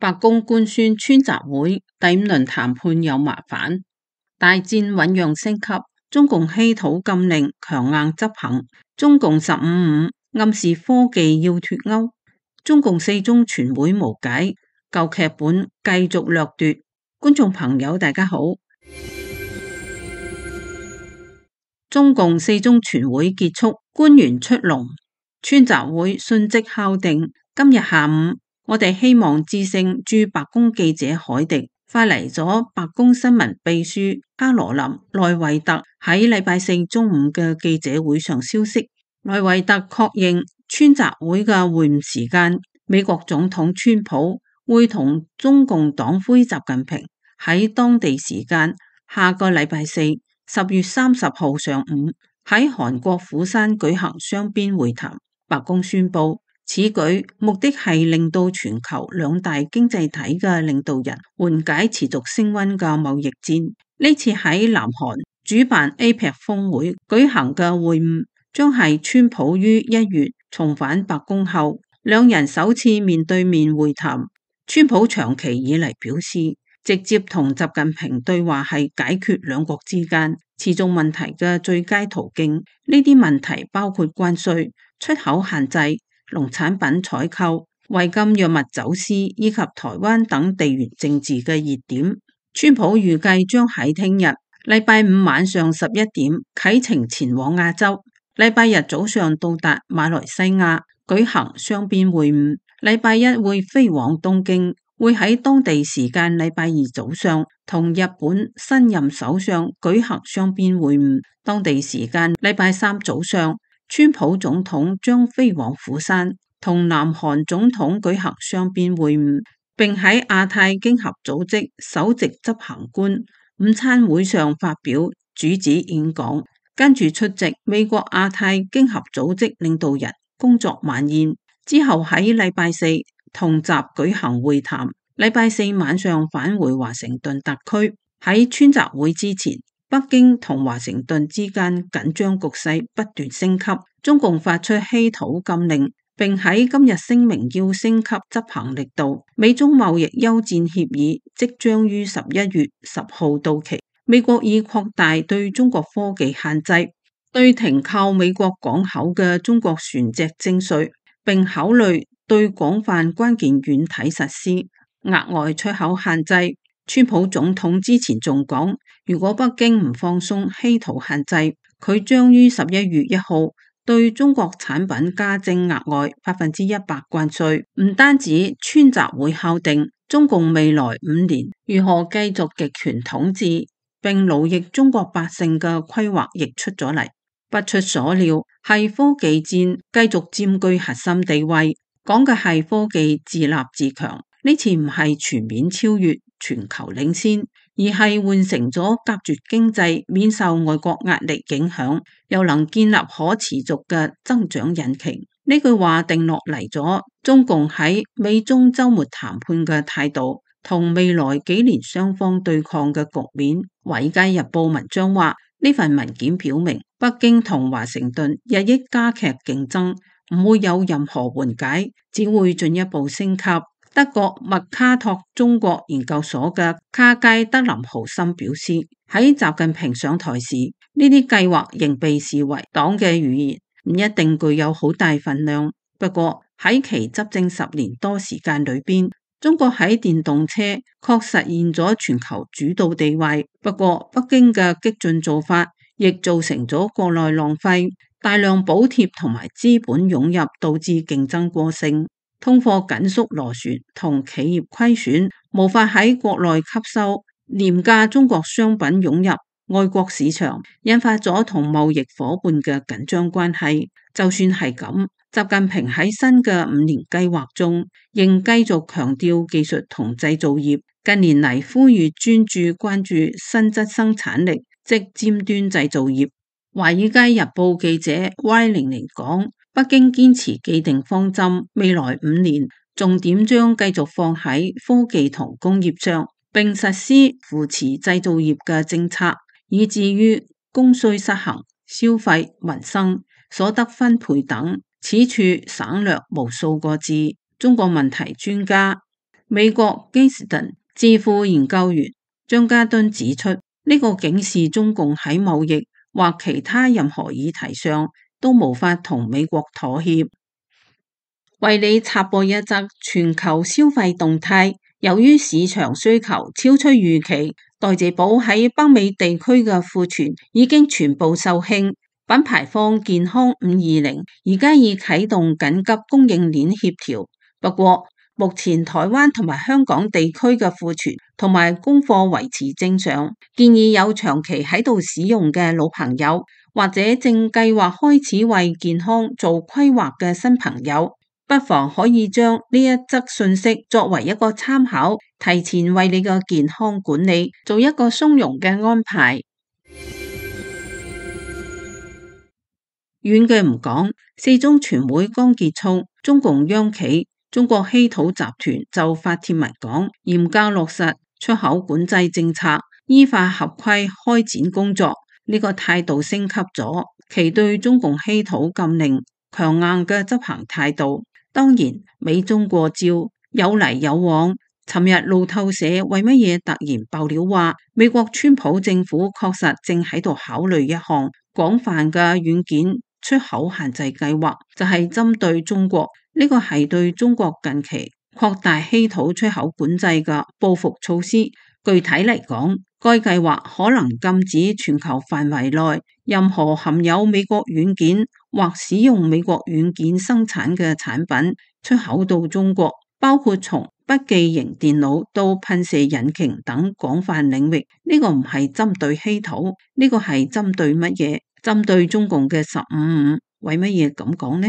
白宮官宣川習會第5輪談判有麻煩，大戰醞釀升級，中共稀土禁令強硬執行，中共15.5暗示科技要脫鈎，中共4中全會無解，舊劇本繼續掠奪。觀眾朋友大家好，中共4中全會結束，官員出籠，川習會迅即敲定，今日下午我哋希望致勝駐白宮記者海迪發嚟咗白宮新聞秘書卡羅琳內維特喺禮拜4中午嘅記者會上消息。內維特確認川習會嘅會晤時間，美國總統川普會同中共黨魁習近平喺當地時間下個禮拜4 10月30號上午喺韓國釜山舉行雙邊會談。白宮宣布，此舉目的係令到全球兩大經濟體嘅領導人緩解持續升溫嘅貿易戰。呢次喺南韓主辦 APEC 峰會舉行嘅會晤，將係川普於1月重返白宮後，兩人首次面對面會談。川普長期以嚟表示，直接同習近平對話係解決兩國之間持續問題嘅最佳途徑。呢啲問題包括關稅、出口限制、農產品採購、違禁藥物走私以及台灣等地緣政治嘅熱點。川普預計將喺聽日禮拜5晚上11點啟程前往亞洲，禮拜日早上到達馬來西亞舉行雙邊會晤，禮拜一會飛往東京，會喺當地時間禮拜2早上同日本新任首相舉行雙邊會晤，當地時間禮拜3早上川普總統將飛往釜山同南韓總統舉行雙邊會晤，並喺亞太經合組織首席執行官午餐會上發表主旨演講，跟住出席美國亞太經合組織領導人工作晚宴，之後喺禮拜4同習舉行會談，禮拜4晚上返回華盛頓特區。喺川習會之前，北京同華盛頓之間緊張局勢不斷升級，中共發出稀土禁令，並喺今日聲明要升級執行力度。美中貿易休戰協議即將於11月10號到期，美國已擴大對中國科技限制，對停靠美國港口嘅中國船隻徵稅，並考慮對廣泛關鍵軟體實施額外出口限制。川普總統之前仲講，如果北京唔放鬆稀土限制，佢將於11月1號對中國產品加徵額外100%關稅。唔單止川習會敲定中共未來5年如何繼續極權統治並奴役中國百姓嘅規劃亦出咗嚟。不出所料係科技戰繼續佔據核心地位，講嘅係科技自立自強。呢次唔係全面超越全球領先，而係換成咗隔絕經濟免受外國壓力影響，又能建立可持續嘅增長引擎。呢句話定落嚟咗中共喺美中週末談判嘅態度同未來幾年雙方對抗嘅局面。華爾街日報文章話，呢份文件表明北京同華盛頓日益加劇競爭，唔會有任何緩解，只會進一步升級。德國麥卡托中國研究所嘅卡佳德林豪森表示，喺習近平上台時，呢啲計劃仍被視為黨嘅語言，唔一定具有好大分量。不過喺其執政10年多時間裏邊，中國喺電動車確實現咗全球主導地位。不過北京嘅激進做法亦造成咗國內浪費，大量補貼同埋資本湧入，導致競爭過剩。通貨緊縮螺旋同企業虧損，無法喺國內吸收廉價中國商品湧入外國市場，引發咗同貿易夥伴嘅緊張關係。就算係咁，習近平喺新嘅5年計劃中，仍繼續強調技術同製造業。近年嚟呼籲專注關注新質生產力，即尖端製造業。華爾街日報記者 Y 零零講，北京堅持既定方針，未來5年重點將繼續放喺科技同工業上，並實施扶持製造業嘅政策，以至於供需失衡、消費、民生、所得分配等，此處省略無數個字。中國問題專家美國基斯頓智庫研究員張家敦指出，呢個警示中共喺貿易或其他任何議題上都無法同美國妥協。為你插播一則全球消費動態，由於市場需求超出預期，代謝寶喺北美地區嘅庫存已經全部售罄。品牌方健康520而家已啟動緊急供應鏈協調，不過目前台灣同埋香港地區嘅庫存同埋供貨維持正常，建議有長期喺度使用嘅老朋友，或者正計劃開始為健康做規劃嘅新朋友，不妨可以將呢一則信息作為一個參考，提前為你嘅健康管理做一個鬆容嘅安排。遠嘅唔講，四中全會剛結束，中共央企中國稀土集團就發帖文講，嚴格落實出口管制政策，依法合規開展工作，呢個態度升級咗，其對中共稀土禁令強硬嘅執行態度。當然，美中過招，有嚟有往。尋日路透社為乜嘢突然爆料話，美國川普政府確實正喺度考慮一項廣泛嘅軟件出口限制計劃，就係針對中國，呢個係對中國近期擴大稀土出口管制嘅報復措施。具體嚟講，該計劃可能禁止全球範圍內任何含有美國軟件或使用美國軟件生產嘅產品出口到中國，包括從筆記型電腦到噴射引擎等廣泛領域。呢個唔係針對稀土，呢個係針對乜嘢？針對中共嘅15.5，為乜嘢咁講呢？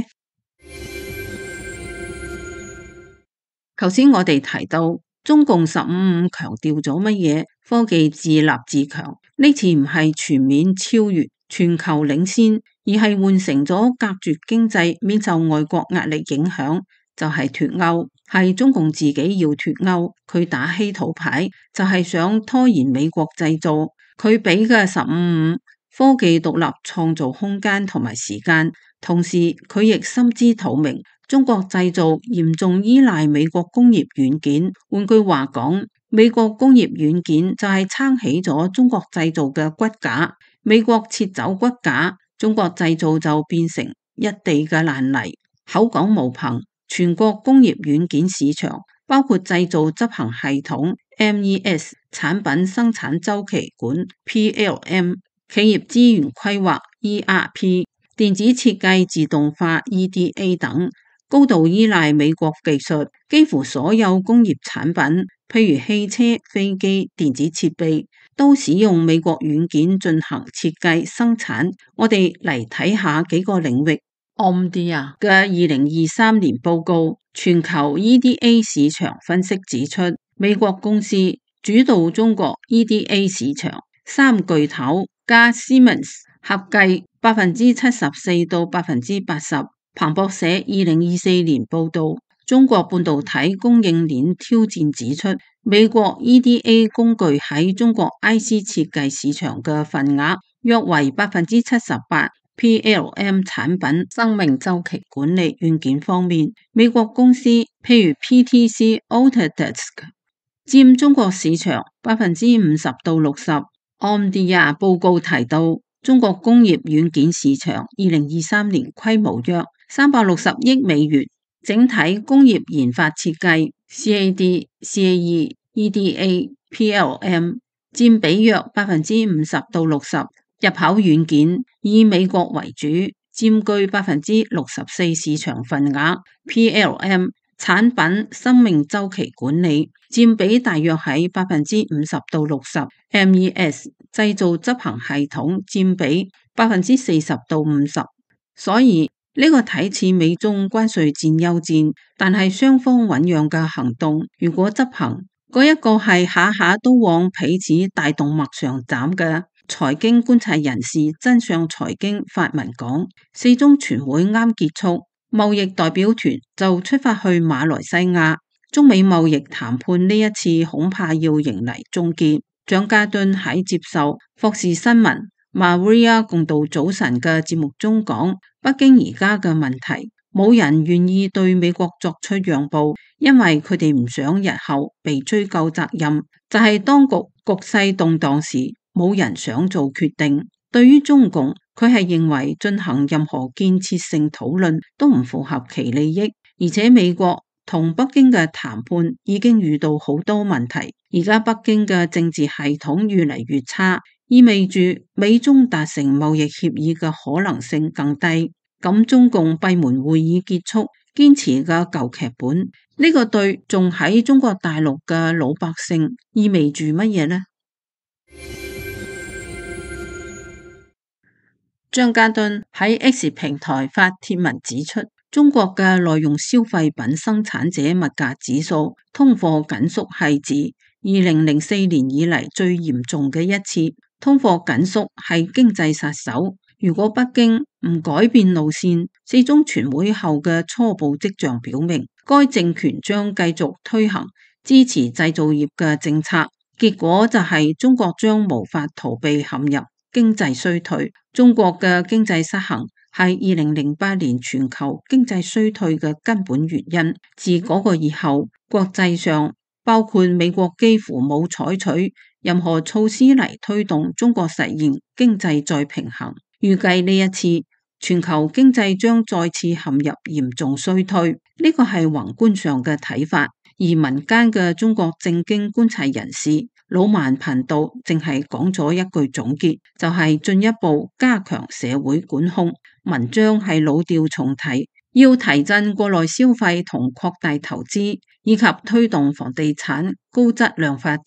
頭先我哋提到中共15.5強調咗乜嘢？科技自立自強，呢次唔係全面超越、全球領先，而係換成咗隔絕經濟，免受外國壓力影響，就係脫歐，係中共自己要脫歐。佢打稀土牌就係想拖延美國製造，佢俾嘅15.5科技獨立創造空間同埋時間，同時佢亦心知肚明，中國製造嚴重依賴美國工業軟件。換句話講，美國工業軟件就係撐起咗中國製造嘅骨架，美國撤走骨架，中國製造就變成一地嘅爛泥。口講無憑，全國工業軟件市場包括製造執行系統 MES、產品生產週期管 PLM、企業資源規劃 ERP、電子設計自動化 EDA 等，高度依賴美國技術。幾乎所有工業產品，譬如汽車、飛機、電子設備，都使用美國軟件進行設計生產。我哋嚟睇下幾個領域。Omdia 嘅2023年報告，全球 EDA 市場分析指出，美國公司主導中國 EDA 市場，三巨頭加 Siemens 合計74%到80%。彭博社2024年報道，中國半導體供應鏈挑戰指出，美國 EDA 工具喺中國 IC 設計市場嘅份額約為78%。PLM 產品生命週期管理軟件方面，美國公司譬如 PTC、Autodesk 佔中國市場50%到60%。Omdia 報告提到，中國工業軟件市場2023年規模約360億美元，整體工業研發設計 CAD、CAE、EDA、PLM 佔比約50%到60%。入口軟件以美國為主，佔據64%市場份額。PLM 產品生命週期管理佔比大約喺50%到60%。MES 製造執行系統佔比40%到50%。所以呢個睇似美中關稅戰休戰，但係雙方醞釀嘅行動，如果執行，嗰一個係下下都往彼此大動脈上斬嘅。財經觀察人士真相財經發文講，四中全會啱結束，貿易代表團就出發去馬來西亞，中美貿易談判呢一次恐怕要迎嚟終結。蔣家敦喺接受霍士新聞 Maria 共度早晨嘅節目中講，北京而家嘅問題冇人願意對美國作出讓步，因為佢哋唔想日後被追究責任。就係當局勢動盪時，冇人想做決定。對於中共，佢係認為進行任何建設性討論都唔符合其利益，而且美國同北京嘅談判已經遇到好多問題，而家北京嘅政治系統越嚟越差，意味住美中達成貿易協議嘅可能性更低。咁中共閉門會議結束，堅持嘅舊劇本，呢個對仲喺中國大陸嘅老百姓意味住乜嘢呢？張家敦喺 X 平台發帖文指出，中國嘅耐用消費品生產者物價指數通貨緊縮係自2004年以嚟最嚴重嘅一次。通貨緊縮係經濟殺手，如果北京唔改變路線，四中全會後嘅初步跡象表明，該政權將繼續推行支持製造業嘅政策，結果就係中國將無法逃避陷入經濟衰退。中國嘅經濟失衡係2008年全球經濟衰退嘅根本原因。自嗰個以後，國際上包括美國幾乎冇採取任何措施嚟推動中國實現經濟再平衡。預計呢一次全球經濟將再次陷入嚴重衰退，呢個係宏觀上嘅睇法。而民間嘅中國政經觀察人士魯曼頻道淨係講咗一句總結，就係進一步加強社會管控。文章係老調重提，要提振國內消費同擴大投資，以及推動房地產高質量發展。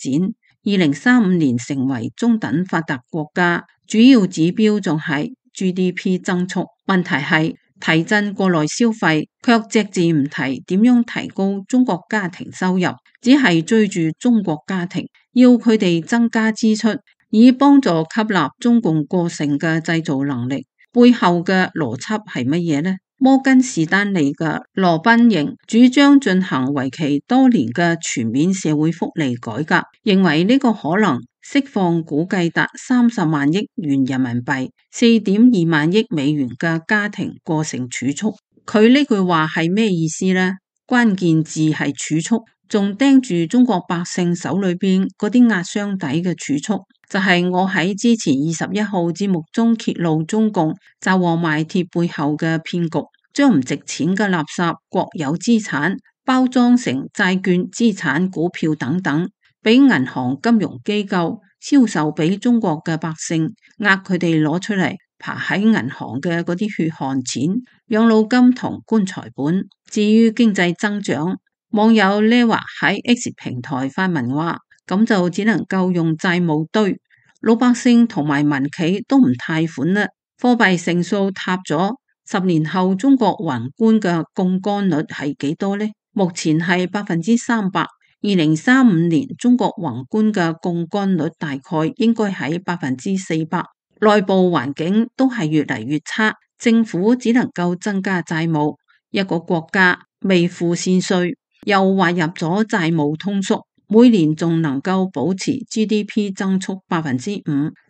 2035年成為中等發達國家，主要指標仲係 GDP 增速。問題係提振國內消費，卻隻字唔提點樣提高中國家庭收入，只係追住中國家庭，要佢哋增加支出，以幫助吸納中共過剩嘅製造能力。背後嘅邏輯係乜嘢呢？摩根士丹利嘅羅賓營主張進行為期多年嘅全面社會福利改革，認為呢個可能釋放估計達30萬億元人民幣、4.2萬億美元嘅家庭過剩儲蓄。佢呢句話係咩意思呢？關鍵字係儲蓄，仲盯住中國百姓手裏邊嗰啲壓箱底嘅儲蓄。就係我喺之前21號節目中揭露中共詐黃賣鐵背後嘅騙局，將唔值錢嘅垃圾國有資產包裝成債券、資產、股票等等，俾銀行金融機構銷售俾中國嘅百姓，呃佢哋攞出嚟爬喺銀行嘅嗰啲血汗錢、養老金同棺材本。至於經濟增長，網友呢話喺 X 平台發文話，咁就只能夠用債務堆，老百姓同埋民企都唔貸款啦，貨幣乘數塌咗。10年後中國宏觀嘅槓桿率係幾多呢？目前係300%。2035年中國宏觀嘅槓桿率大概應該喺400%。內部環境都係越嚟越差，政府只能夠增加債務，一個國家未付先稅，又劃入咗債務通縮，每年仲能夠保持 GDP 增速5%，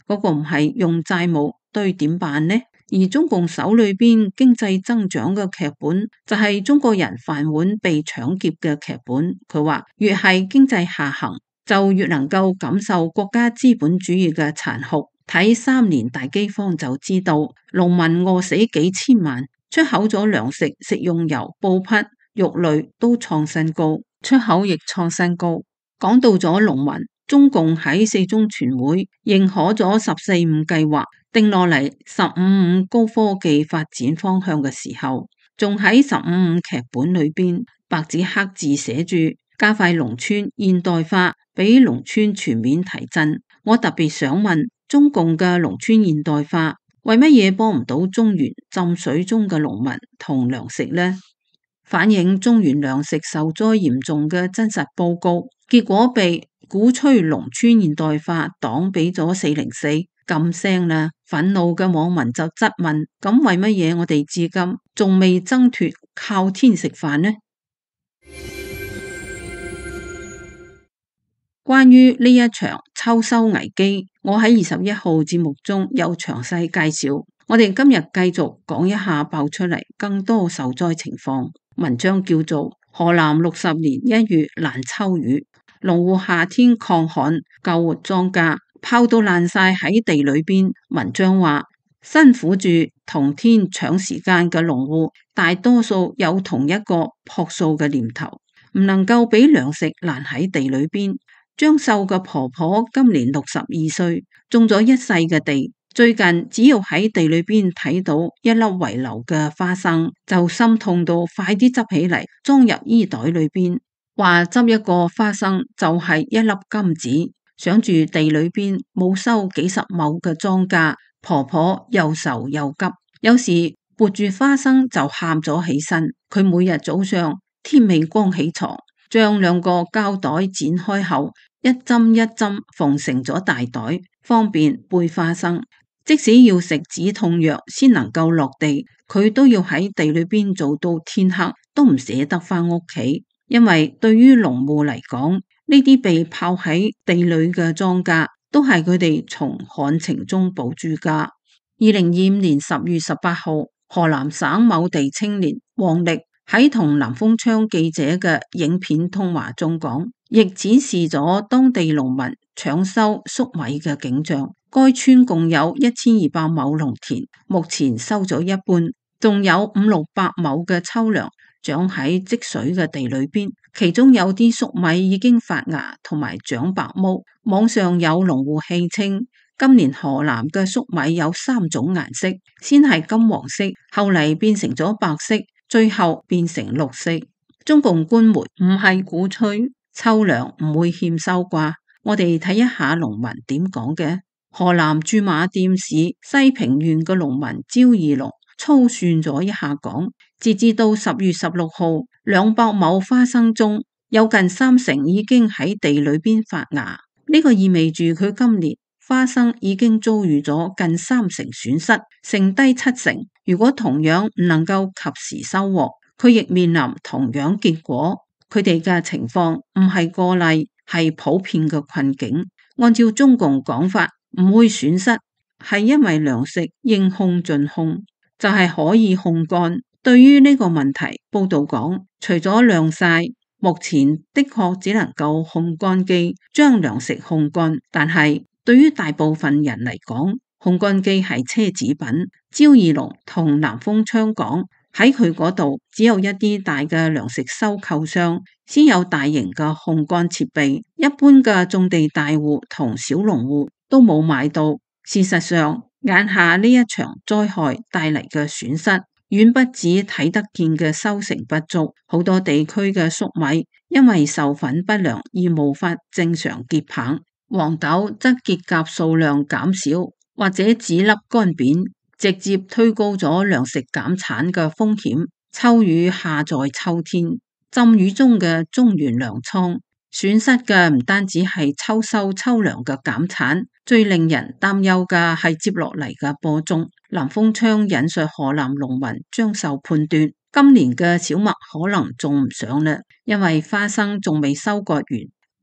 嗰個唔係用債務堆點辦呢？而中共手裏邊經濟增長嘅劇本，就係中國人飯碗被搶劫嘅劇本。佢話越係經濟下行，就越能夠感受國家資本主義嘅殘酷。睇3年大饑荒就知道，農民餓死幾千萬，出口咗糧食、食用油、布匹、肉類都創新高，出口亦創新高。講到咗農民，中共喺四中全會認可咗14.5計劃，定落嚟15.5高科技發展方向嘅時候，仲喺15.5劇本裏邊白紙黑字寫住加快農村現代化，俾農村全面提振。我特別想問，中共嘅農村現代化為乜嘢幫唔到中原浸水中嘅農民同糧食呢？反映中原糧食受災嚴重嘅真實報告，結果被鼓吹農村現代化黨俾咗404禁聲啦。憤怒嘅網民就質問：咁為乜嘢我哋至今仲未掙脫靠天食飯呢？關於呢一場秋收危機，我喺21號節目中有詳細介紹。我哋今日繼續講一下爆出嚟更多受災情況。文章叫做《河南60年1月難抽雨》，農戶夏天抗旱救活莊稼，泡到爛晒喺地裏邊。文章話，辛苦住同天搶時間嘅農戶，大多數有同一個樸素嘅念頭，唔能夠俾糧食爛喺地裏邊。張秀嘅婆婆今年62歲，種咗一世嘅地。最近只要喺地裏邊睇到一粒遺留嘅花生，就心痛到快啲執起嚟裝入衣袋裏邊，話執一個花生就係一粒金子。想住地裏邊冇收幾十畝嘅莊稼，婆婆又愁又急，有時撥住花生就喊咗起身。佢每日早上天未光起床，將兩個膠袋剪開後，一針一針縫成咗大袋，方便背花生。即使要食止痛藥先能夠落地，佢都要喺地裏邊做到天黑，都唔捨得返屋企。因為對於農戶嚟講，呢啲被泡喺地裏嘅莊稼，都係佢哋從旱情中保住家。2025年10月18號，河南省某地青年王力喺同南風窗記者嘅影片通話中講，亦展示咗當地農民搶收粟米嘅景象。該村共有1200畝農田，目前收咗一半，仲有500-600畝嘅秋糧長喺積水嘅地裏邊，其中有啲粟米已經發芽同埋長白毛。網上有農戶戲稱，今年河南嘅粟米有3種顏色，先係金黃色，後嚟變成咗白色，最後變成綠色。中共官媒唔係鼓吹秋糧唔會欠收啩？我哋睇一下農民點講嘅。河南駐馬店市西平縣嘅農民焦義龍粗算咗一下講，截至到10月16號，200畝花生中有近30%已經喺地裏邊發芽，呢個意味住佢今年花生已經遭遇咗近30%損失，剩低70%。如果同樣唔能夠及時收穫，佢亦面臨同樣結果。佢哋嘅情況唔係個例，係普遍嘅困境。按照中共講法，唔會損失，係因為糧食應控盡控，就係可以控乾。對於呢個問題，報道講，除咗晾曬，目前的確只能夠控乾機將糧食控乾，但係對於大部分人嚟講，控乾機係奢侈品。焦義龍同南風窗講，喺佢嗰度只有一啲大嘅糧食收購商先有大型嘅控乾設備，一般嘅種地大戶同小農戶都冇買到。事實上，眼下呢一場災害帶嚟嘅損失，遠不止睇得見嘅收成不足，好多地區嘅粟米因為授粉不良而無法正常結棒，黃豆則結莢數量減少或者籽粒乾扁，直接推高咗糧食減產嘅風險。秋雨下在秋天，浸雨中嘅中原糧倉損失嘅唔單止係秋收秋糧嘅減產，最令人擔憂嘅係接落嚟嘅播種。南風窗引述河南農民張秀判斷，今年嘅小麥可能種唔上啦，因為花生仲未收割完，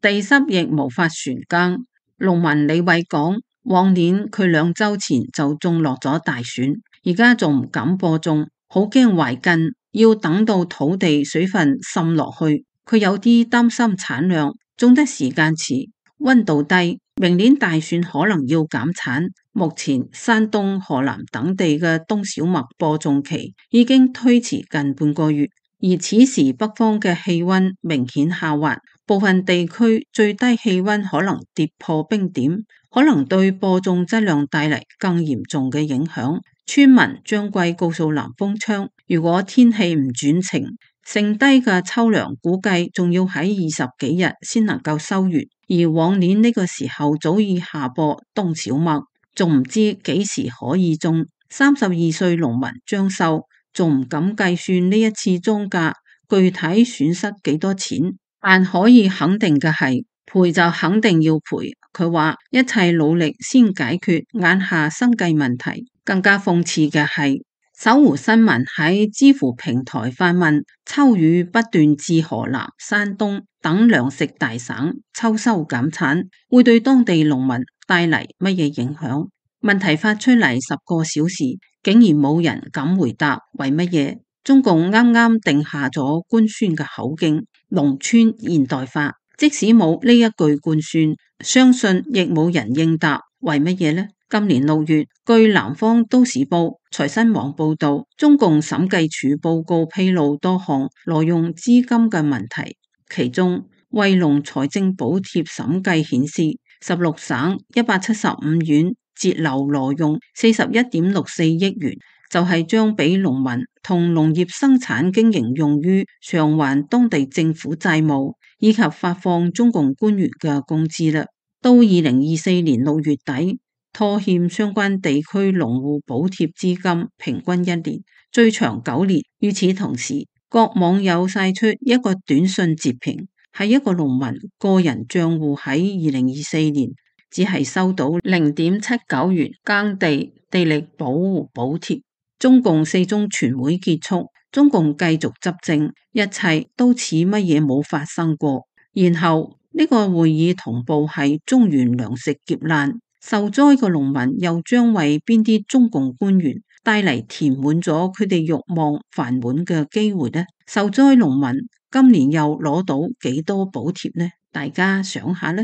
地濕亦無法旋耕。農民李偉講，往年佢2週前就種落咗大蒜，而家仲唔敢播種，好驚壞根，要等到土地水分滲落去。佢有啲擔心產量，種得時間遲，溫度低，明年大蒜可能要減產。目前山東、河南等地嘅冬小麥播種期已經推遲近半個月，而此時北方嘅氣溫明顯下滑，部分地區最低氣溫可能跌破冰點，可能對播種質量帶嚟更嚴重嘅影響。村民張貴告訴南風窗，如果天氣唔轉晴，剩低嘅秋糧估計仲要喺20幾日先能夠收完，而往年呢個時候早已下播冬小麥，仲唔知幾時可以種。32歲農民張秀仲唔敢計算呢一次莊稼具體損失幾多錢，但可以肯定嘅係賠就肯定要賠。佢話一切努力先解決眼下生計問題。更加諷刺嘅係，搜狐新聞喺知乎平台發問，秋雨不斷至河南、山東等糧食大省，秋收減產會對當地農民帶嚟乜嘢影響？問題發出嚟10個小時，竟然冇人敢回答為乜嘢？中共啱啱定下咗官宣嘅口徑，農村現代化。即使冇呢一句官宣，相信亦冇人應答為乜嘢呢？今年6月，據南方都市報、財新網報道，中共審計署報告披露多項挪用資金嘅問題，其中惠農財政補貼審計顯示，16省175縣截留挪用41.64億元，就係將俾農民同農業生產經營用於償還當地政府債務以及發放中共官員嘅工資啦。到2024年6月底，拖欠相關地區農戶補貼資金平均1年，最長9年。與此同時，各網友晒出一個短信截屏，係一個農民個人賬戶喺2024年只係收到0.79元耕地地力保護補貼。中共4中全會結束，中共繼續執政，一切都似乜嘢冇發生過。然後呢個會議同步係中原糧食劫難。受災嘅農民又將為邊啲中共官員帶嚟填滿咗佢哋慾望飯碗嘅機會呢？受災農民今年又攞到幾多補貼呢？大家想下呢？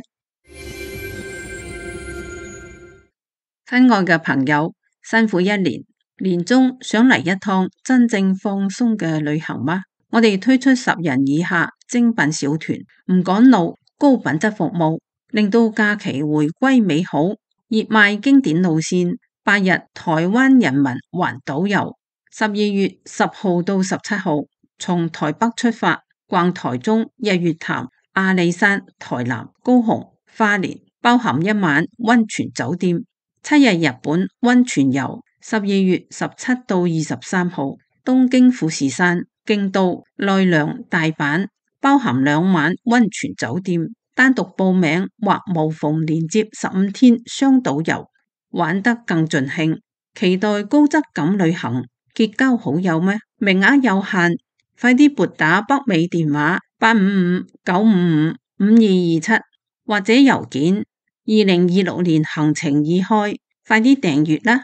親愛嘅朋友，辛苦一年，年終想嚟一趟真正放鬆嘅旅行嗎？我哋推出10人以下精品小團，唔趕路，高品質服務，令到假期回歸美好。熱賣經典路線，8日台灣人民環島遊，12月10號到17號，從台北出發，逛台中、日月潭、阿里山、台南、高雄、花蓮，包含1晚溫泉酒店，7日日本溫泉遊，12月17到23號，東京富士山、京都、奈良、大阪，包含2晚溫泉酒店。單獨報名或無縫連接15天雙島遊，玩得更盡興。期待高質感旅行，結交好友咩？名額有限，快啲撥打北美電話855-955-5227或者郵件2026年行程已開，快啲訂閱啦！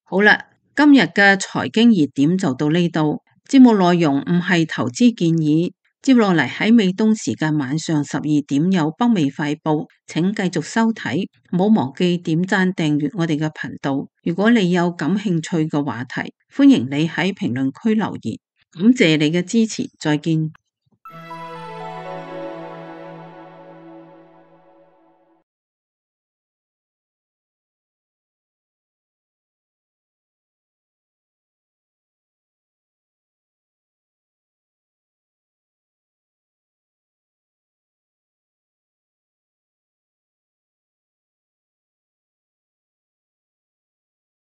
好啦，今日嘅財經熱點就到呢度，節目內容唔係投資建議。接落嚟喺美東時間晚上12點有北美快報，請繼續收睇，唔好忘記點讚訂閱我哋嘅頻道。如果你有感興趣嘅話題，歡迎你喺評論區留言。感謝你嘅支持，再見。